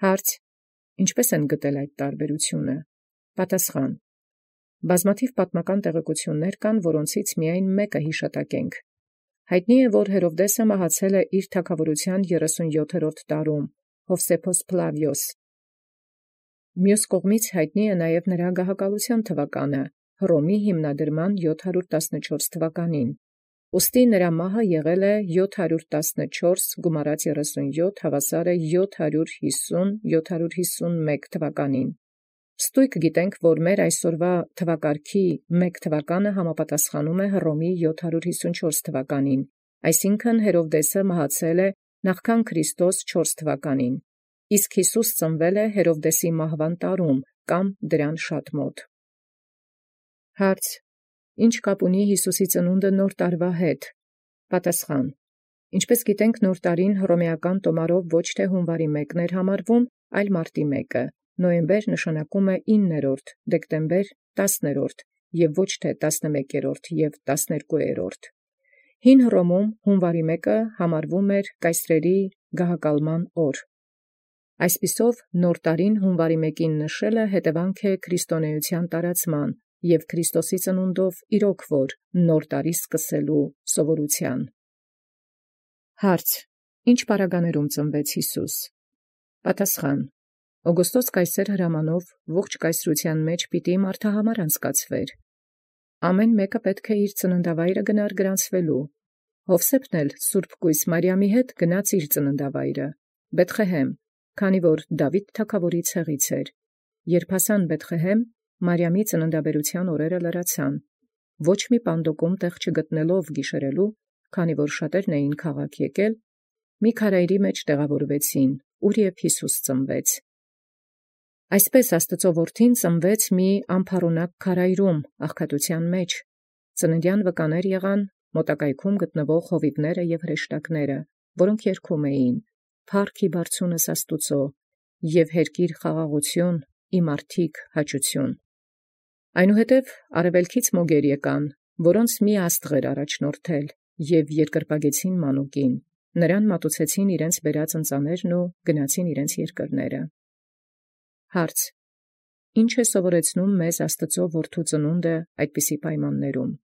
Հարց. ինչպե՞ս են գտել այդ տարբերությունը։ Պատասխան. բազմաթիվ պատմական տեղեկություններ կան, որոնցից միայն մեկը յիշատակենք։ Հայտնի է, որ Հերովդեսը մահացել է իր թագաւորութեան 37-րդ տարում, Հովսեփոս Փլավիոս։ Մյուս կողմից հայտնի է նաև նրա գահակալության թվականը, Հռոմի հիմնադրման 714 թվականին։ Ուստի նրա մահը եղել է 714 գումարած 37 հավասար է 750-751 թվականին։ Ստույգ գիտենք, որ մեր այսօրվա թվակարգի մեկ թվականը համապատասխանում է Հռոմի 754 թվականին, այսինքն Հերովդեսը մահացել է նախքան Քրիստոս 4 թվականին, իսկ Յիսուս ծնվել է Հերովդեսի մահվան տարում կամ դրան շատ մոտ։ Հարց. ինչ կապ ունի Յիսուսի ծնունդը նոր տարվա հետ։ Պատասխան. ինչպես գիտենք, նոր տարին հռոմեական տոմարով ոչ թե հունվարի 1-ն էր համարվում, այլ մարտի 1-ը, նոյեմբեր նշանակում է 9-րդ, դեկտեմբեր 10-րդ և ոչ թե 11-րդ և 12-րդ։ Հին Հռոմում հունվարի 1-ը համարվում էր կայսրերի գահակալման օր։ Այսպիսով նոր տարին հունվարի 1-ին նշելը հետևանք է քրիստոնեության տարածման և Քրիստոսի ծնունդով իրոք որ նոր տարի սկսելու սովորութեան։ Հարց. ինչ պարագաներում ծնվեց Յիսուս։ Պատասխան. Օգոստոս կայսեր հրամանով ողջ կայսրութեան մեջ պիտի մարդահամար անցկացվեր։ Ամեն մեկը պետք է իր ծննդավայրը գնար գրանցվելու։ Հովսեփն էլ Սուրբ Կույս Մարիամի հետ գնաց իր ծննդավայրը, Բեթղեհեմ, քանի որ Դաւիթ թագաւորի ցեղից էր։ Երբ հասան Բեթղեհեմ, Մարիամի ծննդաբերութեան օրերը լրացան։ Ոչ մի պանդոկում տեղ չգտնելով գիշերելու, քանի որ շատերն էին քաղաք եկել, մի քարայրի մեջ տեղավորվեցին, ուր և Յիսուս ծնվեց։ Այսպես Աստուծոյ որդին ծնվեց մի անփառունակ քարայրում աղքատութեան մեջ։ Ծննդյան վկաներ եղան մոտակայքում գտնվող հովիվները և հրեշտակները, որոնք երգում էին. «Փառք ի բարձունս Աստուծոյ, և հերկիր խաղաղություն, իմ արդիկ հաճություն»։ Այնուհետև արևելքից մոգեր եկան, որոնց մի աստղ էր առաջնորդել, և երկրպագեցին մանուկին, նրան մատուցեցին իրենց բերած ընծաներն ու գնացին իրենց երկրները։ Հարց. ինչ է սովորեցնում մեզ Աստծո որդու ծնունդը այդպիսի պայմաններում։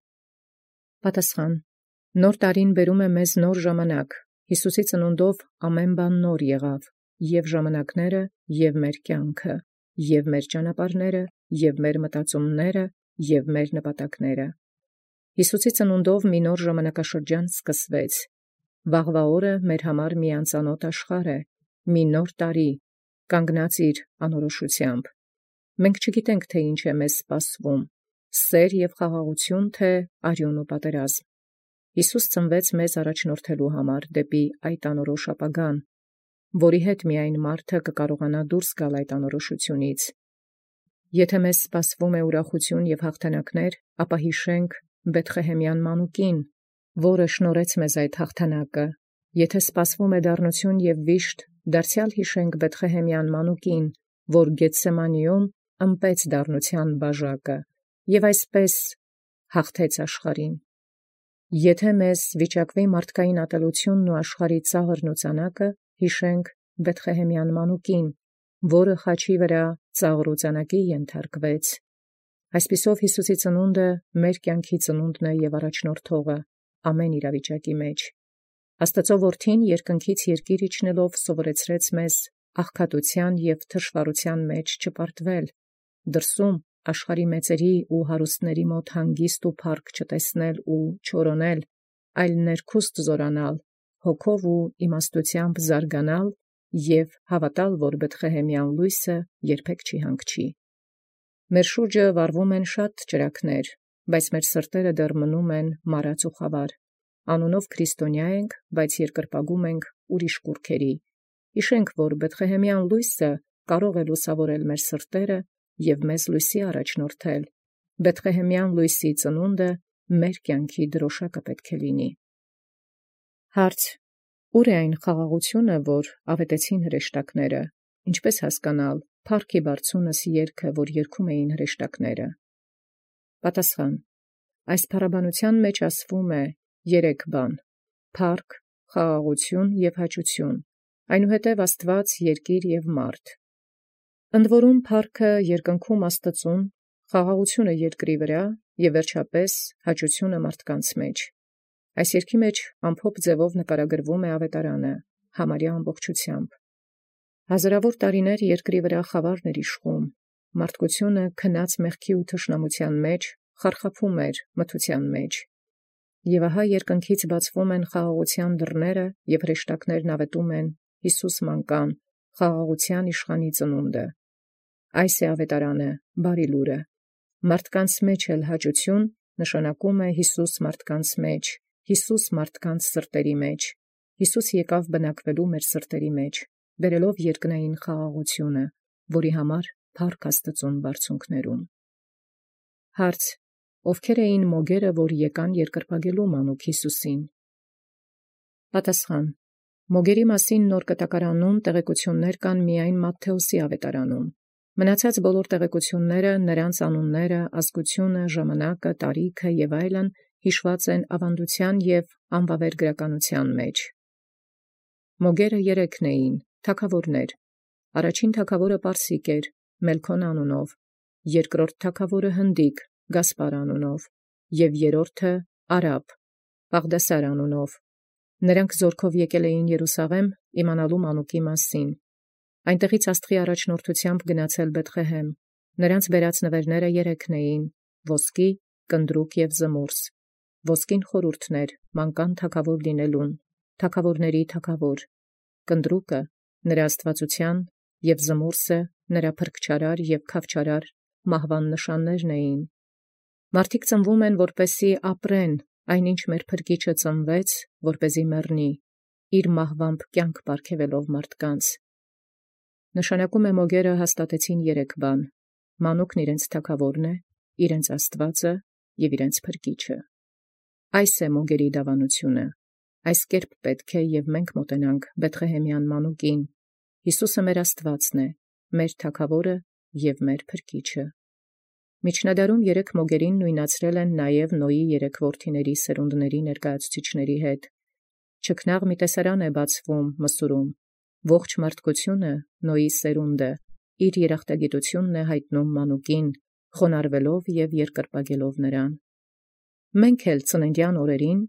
Պատասխան. նոր տարին բերում է մեզ նոր ժամանակ, Յիսուսի ծնունդով ամեն բան նոր եղավ, և ժամանակները, և մեր կյանքը, և մեր ճանապարհները, և մեր մտածումները, և մեր նպատակները։ Յիսուսի ծնունդով մի նոր ժամանակաշրջան սկսվեց։ Վաղվա օրը մեր համար մի անծանոթ աշխարհ է, մի նոր տարի, կանգնած իր անորոշությամբ։ Մենք չգիտենք, թե ինչ է մեզ սպասվում, սեր և խաղաղություն, թե արյուն ու պատերազմ։ Յիսուս ծնվեց մեզ առաջնորդելու համար դեպի այդ անորոշ ապագան, որի հետ միայն մարդը կկարողանա դուրս գալ այդ անորոշությունից։ Եթե մեզ սպասվում է ուրախություն և հաղթանակներ, ապա հիշենք Բեթղեհեմյան մանուկին, որը շնորհեց մեզ այդ հաղթանակը։ Եթե սպասվում է դառնություն և վիշտ, դարձյալ հիշենք Բեթղեհեմյան մանուկին, որ Գեթսեմանիում ըմպեց դառնության բաժակը և այսպես հաղթեց աշխարհին։ Եթե մեզ վիճակվի մարդկային ատելությունն ու աշխարհի ծաղրն ու ծանակը, հիշենք Բեթղեհեմյան մանուկին, որը խաչի վրա ծաղր ու ծանակի ենթարկվեց։ Այսպիսով Յիսուսի ծնունդը մեր կյանքի ծնունդն է և առաջնորդողը ամեն իրավիճակի մեջ։ Աստծո որդին երկնքից երկիր իջնելով սովորեցրեց մեզ աղքատության և թշվառության մեջ չպարտվել, դրսում աշխարհի մեծերի ու հարուստների մոտ հանգիստ ու փառք չտեսնել ու չորոնել, այլ ներքուստ զորանալ, հոգով ու իմաստութեամբ զարգանալ և հավատալ, որ Բեթղեհեմյան լույսը երբեք չի հանգչի։ Մեր շուրջը վառվում են շատ ճրագներ, բայց մեր սրտերը դեռ մնում են մարած ու խավար։ Անունով քրիստոնյա ենք, բայց երկրպագում ենք ուրիշ կուռքերի։ Հիշենք, որ Բեթղեհեմյան լույսը կարող է լուսավորել մեր սրտերը և մեզ լույսի առաջնորդել։ Բեթղեհեմյան լույսի ծնունդը մեր կյանքի դրոշակը պետք է լինի։ Հարց. ուր է այն խաղաղությունը, որ ավետեցին հրեշտակները, ինչպես հասկանալ «Փառք ի բարձունս» երգը, որ երգում էին հրեշտակները։ Պատասխան. այս փառաբանության մեջ ասվում է երեք բան. փառք, խաղաղություն և հաճություն, այնուհետև Աստուած երկիր եւ մարդ։ Ընդ որում փառքը երկնքում Աստծուն, խաղաղությունը երկրի վրա եւ վերջապես հաճությունը մարդկանց մեջ։ Այս երգի մեջ ամփոփ ձևով նկարագրվում է ավետարանը համարյա ամբողջությամբ։ Հազարավոր տարիներ երկրի վրա խավարն էր իշխում, մարդկությունը քնած մեղքի ու թշնամության մեջ խարխափում էր մթության մեջ։ Եվ ահա երկնքից բացվում են խաղաղության դռները եւ հրեշտակներն ավետում են Հիսուս մանկան, խաղաղության իշխանի ծնունդը։ Այս է ավետարանը, բարի լուրը։ Մարդկանց մեջ էլ հաճություն նշանակում է Հիսուս մարդկանց մեջ, Հիսուս մարդկանց սրտերի մեջ։ Հիսուս եկավ բնակվելու մեր սրտերի մեջ, բերելով երկնային խաղաղությունը, որի համար փառք Աստծուն բարձունքներում։ Հարց. ովքեր էին մոգերը, որ եկան երկրպագելու մանուկ Հիսուսին։ Պատասխան. մոգերի մասին նոր կտակարանում տեղեկություններ կան միայն Մատթեոսի ավետարանում։ Մնացած բոլոր տեղեկությունները, նրանց անունները, ազգությունը, ժամանակը, տարիքը եւ այլն հիշված են ավանդության եւ անվավեր գրականության մեջ։ Մոգերը երեքն էին, թագավորներ։ Առաջին թագավորը Պարսիկ էր, Մելքոն անունով, երկրորդ թագավորը Հնդիկ, Գասպար անունով, եւ երրորդը Արաբ, Բաղդասար անունով։ Նրանք զորքով եկել էին Երուսաղեմ իմանալու մանուկի մասին։ Այնտեղից աստղի առաջնորդությամբ գնացել Բեթղեհեմ։ Նրանց բերած նվերները երեքն էին՝ ոսկի, կնդրուկ եւ զմուրս։ Ոսկին խորհուրդն էր մանկան թագավոր լինելուն, թագավորների թագավոր։ Կնդրուկը նրա աստվածության եւ զմուրսը նրա փրկչարար եւ քավչարար մահվան նշաններն էին։ Մարդիկ ծնվում են, որպեսզի ապրեն, այնինչ մեր փրկիչը ծնվեց, որպեսզի մեռնի, իր մահվամբ կյանք պարգևելով մարդկանց։ Նշանակում է մոգերը հաստատեցին երեք բան. մանուկն իրենց թագավորն է, իրենց Աստվածը եւ իրենց փրկիչը։ Այս է մոգերի դավանությունը։ Այս կերպ պետք է եւ մենք մոտենանք Բեթղեհեմյան մանուկին։ Հիսուսը մեր Աստվածն է, մեր թագավորը եւ մեր փրկիչը։ Միջնադարում երեք մոգերին նույնացրել են նաև Նոյի երեք որդիների սերունդների ներկայացուցիչների հետ։ Չքնաղ մի տեսարան է բացվում Մսուրում։ Ողջ մարդկությունը Նոյի սերունդը իր երախտագիտությունն է հայտնում մանուկին, խոնարհվելով եւ երկրպագելով նրան։ Մենք էլ ծննդյան օրերին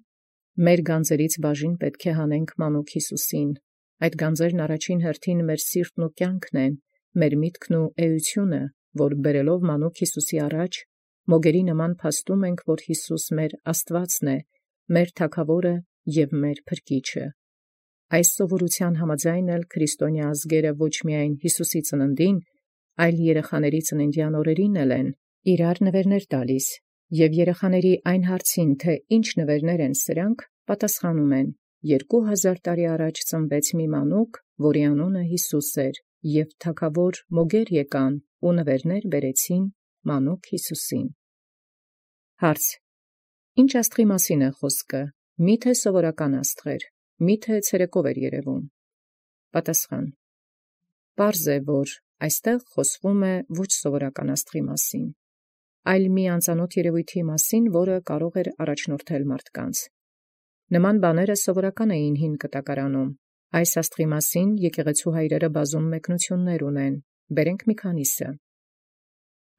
մեր գանձերից բաժին պետք է հանենք մանուկ Հիսուսին։ Այդ գանձերն առաջին հերթին մեր սիրտն ու կյանքն են, մեր միտքն ու էությունը, որ բերելով մանուկ Հիսուսի առաջ, մոգերի նման փաստում ենք, որ Հիսուս մեր Աստվածն է, մեր թագավորը եւ մեր փրկիչը։ Այս սովորության համաձայն էլ քրիստոնյա ազգերը ոչ միայն Հիսուսի ծննդին, այլ երեխաների ծննդյան օրերին են իրար նվերներ տալիս, եւ երեխաների այն հարցին, թե ինչ նվերներ են սրանք, պատասխանում են. 2000 տարի առաջ ծնվեց մի մանուկ, որի անունը Հիսուս էր, եւ թագավոր մոգեր եկան ու նվերներ բերեցին մանուկ Հիսուսին։ Հարց. ինչ աստղի մասին է խոսքը, միթե սովորական աստղեր, միթե ցերեկով էր երևում։ Պատասխան. պարզ է, որ այստեղ խոսվում է ոչ սովորական աստղի մասին, այլ մի անծանոթ երևույթի մասին, որը կարող էր առաջնորդել մարդկանց։ Նման բաները սովորական էին հին կտակարանում։ Այս աստղի մասին եկեղեցու հայրերը բազում մեկնություններ ունեն, բերենք մի քանիսը։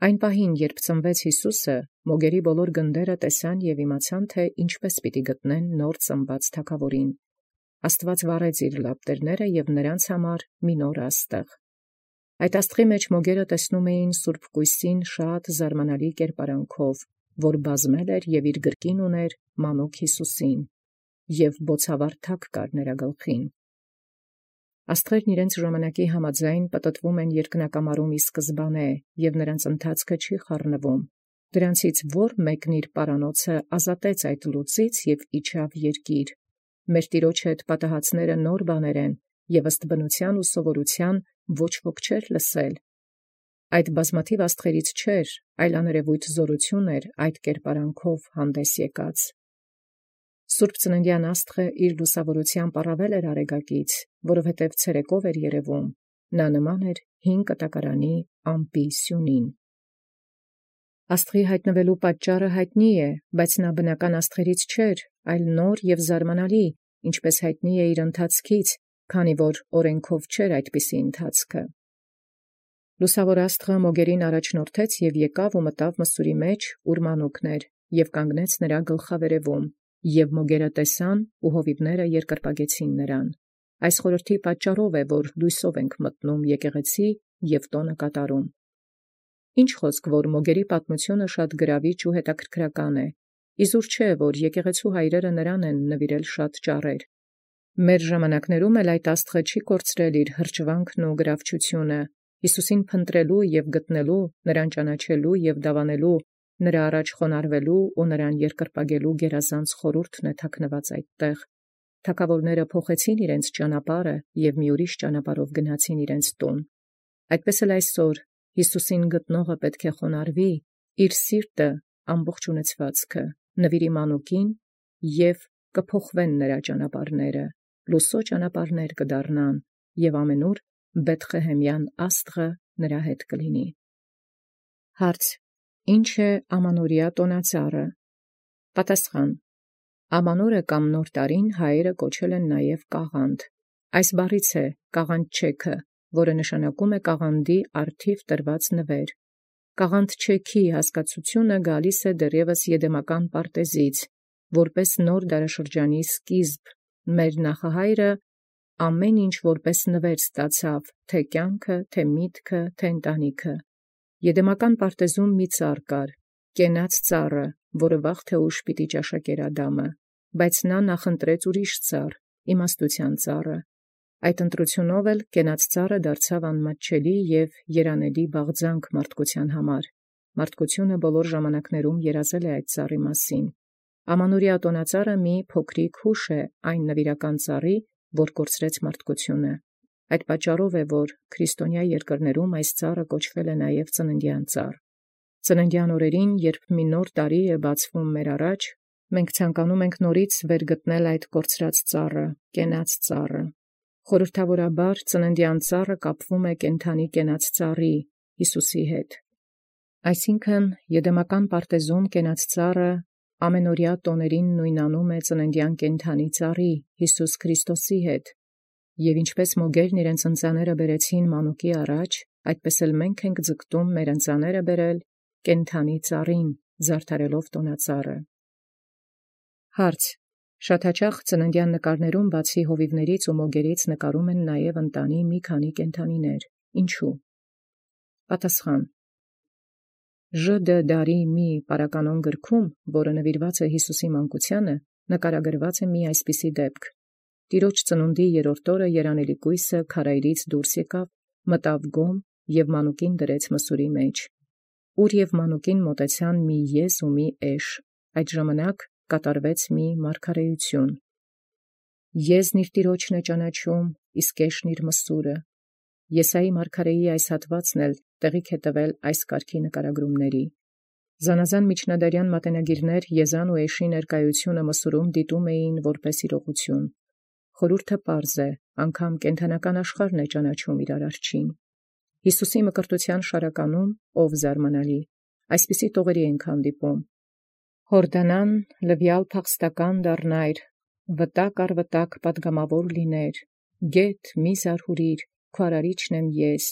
Այն պահին, երբ ծնվեց Հիսուսը, մոգերի բոլոր գնդերը տեսան եւ իմացան, թե ինչպես պիտի գտնեն նոր ծնված թագավորին։ Աստված վառեց իր լապտերները եւ նրանց համար մի նոր աստղ։ Այդ աստղի մեջ մոգերը տեսնում էին Սուրբ Կույսին շատ զարմանալի կերպարանքով, որ բազմել էր եւ իր գրկին ուներ մանուկ Հիսուսին, եւ բոցավառ թակ կար նրա գլխին։ Աստղերն իրենց ժամանակի համաձայն պտտվում են երկնակամարում ի սկզբանե, եւ նրանց ընթացքը չի խառնվում։ Դրանցից որ մեկն իր պարանոցը ազատեց այդ լուծից եւ իջավ երկիր։ Մեր Տիրոջ հետ պատահածները նոր բաներ են, եւ ըստ բնության ու սովորության ոչ ոք չէր լսել։ Այդ բազմաթիվ աստղերից չէր, այլ աներևույթ զորություն էր այդ կերպարանքով հանդես եկած։ Սուրբ ծննդյան աստղը իր լուսավորությամբ առավել էր արեգակից, որովհետև ցերեկով էր երևում, նա նման էր հին կտակարանի ամպի սյունին։ Աստղի հայտնվելու պատճառը հայտնի է, բայց նա բնական աստղերից չէր, այլ նոր եւ զարմանալի, ինչպես հայտնի է իր ընթացքից, քանի որ օրենքով չէր այդպիսի ընթացքը։ Լուսավոր աստղը մոգերին առաջնորդեց և եկավ ու մտավ մսուրի մեջ, ուր մանուկն էր, և կանգնեց նրա գլխավերևում, և մոգերը տեսան ու հովիվները երկրպագեցին նրան։ Այս խորհրդի պատճառով է, որ լույսով ենք մտնում եկեղեցի և տոնը կատարում։ Ինչ խոսք, որ մոգերի պատմությունը շատ գրավիչ ու հետաքրքրական է։ Իզուր չէ, որ եկեղեցու հայրերը նրան են նվիրել շատ ճառեր։ Մեր ժամանակներում էլ այդ աստղը չի կորցրել իր հրճվանքն ու գրավչությունը, Հիսուսին փնտրելու և գտնելու, նրան ճանաչելու և դավանելու, նրա առաջ խոնարհվելու ու նրան երկրպագելու գերազանց խորհուրդն է թաքնված այդտեղ։ Թագավորները փոխեցին իրենց ճանապարհը և մի ուրիշ ճանապարհով գնացին իրենց տուն։ Այդպես էլ այսօր Հիսուսին գտնողը պետք է խոնարհվի, իր սիրտը ամբողջ ունեցվածքը նվիրի մանուկին, և կփոխվեն նրա ճանապարհները, լուսո ճանապարհներ կդառնան, և ամենուր Բեթղեհեմյան աստղը նրա հետ կլինի։ Հարց. Ինչ է ամանորյա տոնածառը։ Պատասխան. Ամանորը կամ նոր տարին հայերը կոչել են նաև կաղանդ։ Այս բառից է կաղանդ-չեքը, որը նշանակում է կաղանդի առթիվ տրված նվեր։ Կաղանդ-չեքի հասկացությունը գալիս է դեռևս եդեմական պարտեզից, որպես նոր դարաշրջանի սկիզբ։ Մեր նախահայրը ամեն ինչ որպես նվեր ստացավ, թե կյանքը, թե միտքը, թե ընտանիքը։ Եդեմական պարտեզում մի ծառ կար, կենաց ծառը, որը վաղ թե ուշ պիտի ճաշակեր Ադամը, բայց նա նախընտրեց ուրիշ ծառ, իմաստության ծառը։ Այդ ընտրությունով էլ կենաց ծառը դարձավ անմատչելի և երանելի բաղձանք մարդկության համար։ Մարդկությունը բոլոր ժամանակներում երազել է այդ ծառի մասին։ Ամանորյա տոնածառը մի փոքրիկ հուշ է այն նվիրական ծառի, որ կորցրեց մարդկությունը։ Այդ պատճառով է, որ քրիստոնյա երկրներում այս ծառը կոչվել է նաև ծննդյան ծառ։ Ծննդյան օրերին, երբ մի նոր տարի է բացվում մեր առաջ, մենք ցանկանում ենք նորից վերգտնել այդ կորցրած ծառը, կենաց ծառը։ Խորհրդավորաբար ծննդյան ծառը կապվում է կենդանի կենաց ծառի, Հիսուսի հետ։ Այսինքն, եդեմական պարտեզում կենաց ծառը ամենօրյա տոներին նույնանում է ծննդյան կենդանի ծառի, Հիսուս Քրիստոսի հետ։ Եվ ինչպես մոգերն իրենց ընծաները բերեցին մանուկի առաջ, այդպես էլ մենք ենք ձգտում մեր ընծաները բերել կենդանի ծառին, զարդարելով տոնածառը։ Հարց. Շատ հաճախ ծննդյան նկարներում բացի հովիվներից ու մոգերից նկարում են նաև ընտանի մի քանի կենդանիներ։ Ինչու՞։ Պատասխան. ԺԴ դարի մի պարականոն գրքում, որը նվիրված է Հիսուսի մանկությանը, նկարագրված է մի այսպիսի դեպք. Տիրոջ ծնունդի երրորդ օրը երանելի կույսը քարայրից դուրս եկավ, մտավ գոմ և մանուկին դրեց մսուրի մեջ, ուր և մանուկին մոտեցան մի եզ ու մի էշ։ Այդ ժամանակ կատարվեց մի մարգարեություն. Եզն իր տիրոջն է ճանաչում, իսկ էշն իր մսուրը։ Եսայի մարգարեի այս հատվածն էլ տեղիք է տվել այս կարգի նկարագրումների։ Զանազան միջնադարյան մատենագիրներ Եզան ու էշի ներկայությունը մսուրում դիտում էին որպես իրողություն։ Խորհուրդը պարզ է, անգամ կենդանական աշխարհն է ճանաչում իր արարչին։ Հիսուսի մկրտության շարականում, ով զարմանալի, այսպիսի տողերի ենք հանդիպում. Հորդանան լվյալ փախստական դառնայր, վտակ առ վտակ պատգամավոր լիներ, գեթ մի զարհուրիր, քո արարիչն եմ ես,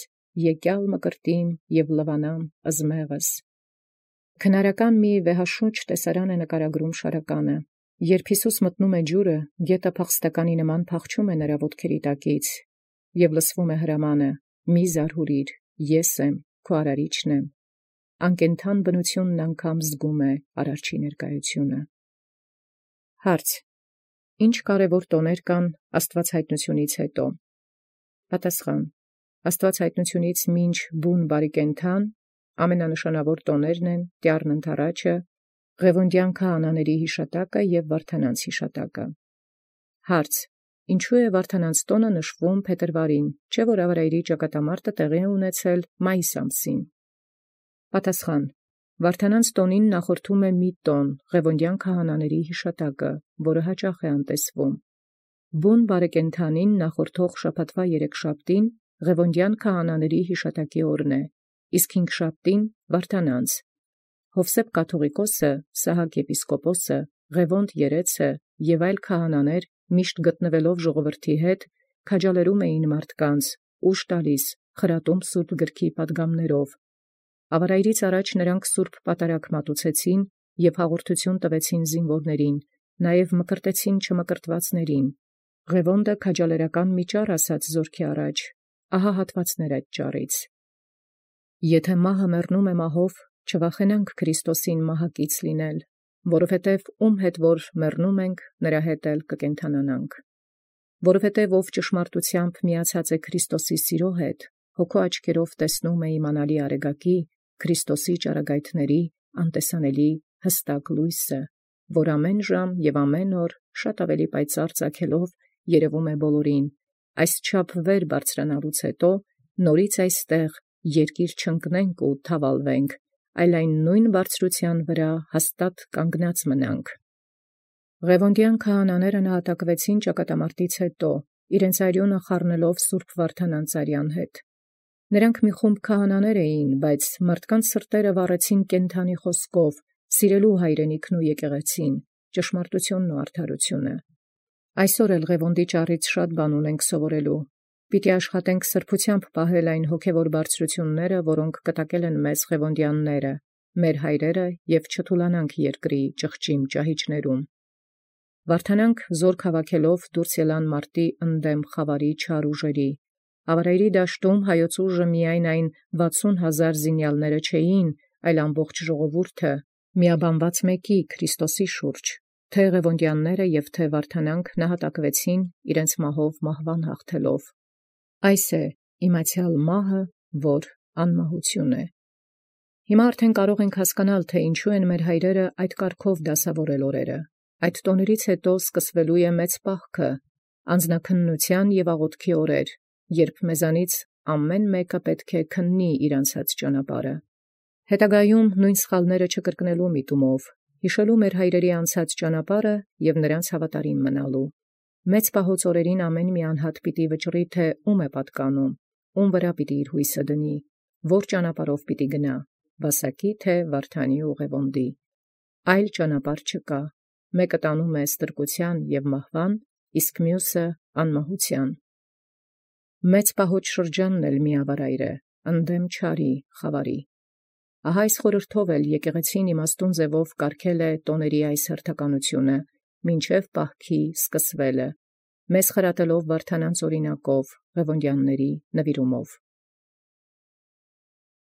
եկյալ մկրտիմ և լվանամ ըզմեղս։ Քնարական մի վեհաշունչ տեսարան է նկարագրում շարականը։ Երբ Հիսուս մտնում է ջուրը, գետը փախստականի նման փախչում է նրա ոտքերի տակից, և լսվում է հրամանը. մի զարհուրիր, ես եմ, քո արարիչն եմ։ Անկենդան բնությունն անգամ զգում է արարչի ներկայությունը։ Հարց. Ինչ կարևոր տոներ կան Աստվածհայտնությունից հետո։ Պատասխան. Աստվածհայտնությունից մինչ բուն բարիկենթան ամենանշանավոր տոներն են Տյառն ընթառաջը, Ղևոնդյան քահանաների հիշատակը և Վարդանանց հիշատակը։ Հարց. Ինչու է Վարդանանց տոնը նշվում փետրվարին, չէ՞ որ Ավրայրի ճակատամարտը տեղի է ունեցել մայիս ամսին։ Պատասխան. Վարդանանց տոնին նախորդում է մի տոն, Ղևոնդյան քահանաների հիշատակը, որը հաճախ է անտեսվում։ Բուն բարեկենդանին նախորդող շաբաթվա երեքշաբթին Ղևոնդյան քահանաների հիշատակի օրն է, իսկ հինգշաբթին Վարդանանց։ Հովսեփ կաթողիկոսը, Սահակ եպիսկոպոսը, Ղևոնդ երեցը և այլ քահանաներ միշտ գտնվելով ժողովրդի հետ քաջալերում էին մարդկանց, ուժ տալիս, խրատում սուրբ գրքի պատգամներով։ Ավարայրից առաջ նրանք սուրբ պատարագ մատուցեցին և հաղորդություն տվեցին զինվորներին, նաև մկրտեցին չմկրտվածներին։ Ղևոնդը քաջալերական մի ճառ ասաց զորքի առաջ, ահա հատվածներ այդ ճառից. Եթե մահը մեռնում է մահով, չվախենանք Քրիստոսին մահակից լինել, որովհետև ում հետ որ մեռնում ենք, նրա հետ էլ կկենդանանանք։ Որովհետև ով ճշմարտությամբ միացած է Քրիստոսի սիրո հետ, հոգու աչքերով տեսնում է իմանալի արեգակի, Քրիստոսի ճառագայթների անտեսանելի հստակ լույսը, որ ամեն ժամ և ամեն օր շատ ավելի պայծառ ծագելով երևում է բոլորին, այսչափ վեր բարձրանալուց հետո նորից այստեղ երկիր չընկնենք ու թավալվենք, այլ այն նույն բարձրության վրա հաստատ կանգնած մնանք։ Ղևոնդյան քահանաները նահատակվեցին ճակատամարտից հետո, իրենց արյունը խառնելով սուրբ Վարդան Անծարյան հետ։ Նրանք մի խումբ քահանաներ էին, բայց մարդկանց սրտերը վառեցին կենդանի խոսքով, սիրելու հայրենիքն ու եկեղեցին, ճշմարտությունն ու արդարությունը։ Այսօր էլ Ղևոնդի ճառից շատ բան ունենք սովորելու։ Պիտի աշխատենք սրբությամբ պահել այն հոգևոր բարձրությունները, որոնք կտակել են մեզ ղևոնդյանները, մեր հայրերը, և չթուլանանք երկրի ճղճիմ ճահիճներում։ Վարդանանք զորք հավաքելով դուրս ելան մարտի ընդդեմ խավարի չար ուժերի։ Ավարայրի դաշտում հայոց ուժը միայն այն 60,000 զինյալները չէին, այլ ամբողջ ժողովուրդը, միաբանված մեկի Քրիստոսի շուրջ, թե ղևոնդյանները և թե Վարդանանք նահատակվեցին իրենց մահով մահվան հաղթելով։ Այս է իմացյալ մահը, որ անմահություն է։ Հիմա արդեն կարող ենք հասկանալ, թե ինչու են մեր հայրերը այդ կարգով դասավորել օրերը։ Այդ տոներից հետո սկսվելու է մեծ պահքը, անձնաքննության և աղոթքի օրեր, երբ մեզանից ամեն մեկը պետք է քննի իր անցած ճանապարհը։ Հետագայում նույն սխալները չկրկնելու միտումով, հիշելու մեր հայրերի անցած ճանապարհը և նրանց հավատարիմ մնալու։ Մեծ պահոց օրերին ամեն մի անհատ պիտի վճռի, թե ում է պատկանում, ում վրա պիտի իր հույսը դնի, որ ճանապարհով պիտի գնա, Վասակի թե Վարդանի ու Ղևոնդի։ Այլ ճանապարհ չկա, մեկը տանում է ստրկության և մահվան, իսկ մյուսը անմահության։ Մեծ պահոց շրջանն էլ մի ավարայր է, ընդդեմ չարի, խավարի։ Ահա այս խորհրդով էլ եկեղեցին իմաստուն ձևով կարգել է տոների այս հերթականությունը, մինչև պահքի սկսվելը, մեզ խրատելով Վարդանանց օրինակով, ղևոնդյանների նվիրումով։